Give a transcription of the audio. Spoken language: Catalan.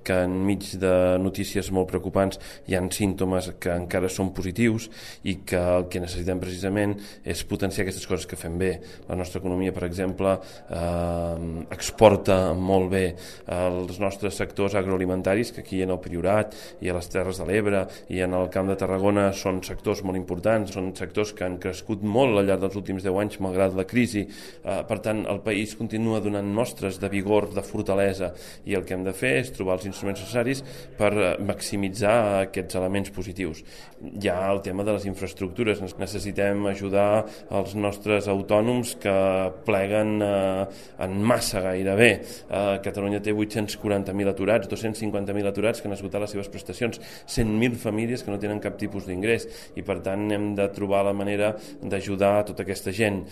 que enmig de notícies molt preocupants hi ha símptomes que encara són positius i que el que necessitem precisament és potenciar aquestes coses que fem bé. La nostra economia, per exemple, exporta molt bé els nostres sectors agroalimentaris, que aquí en el Priorat i a les Terres de l'Ebre i en el Camp de Tarragona són sectors molt importants, són sectors que han crescut molt al llarg dels últims 10 anys malgrat la crisi. Per tant, el país continua donant mostres de vigor, de fortalesa, i el que hem de fer és trobar els instruments necessaris per maximitzar aquests elements positius. Hi ha el tema de les infraestructures. Necessitem ajudar els nostres autònoms que pleguen en massa gairebé. Catalunya té 840.000 aturats, 250.000 aturats que han esgotat les seves prestacions, 100.000 famílies que no tenen cap tipus d'ingrés, i per tant hem de trobar la manera d'ajudar a tota aquesta gent.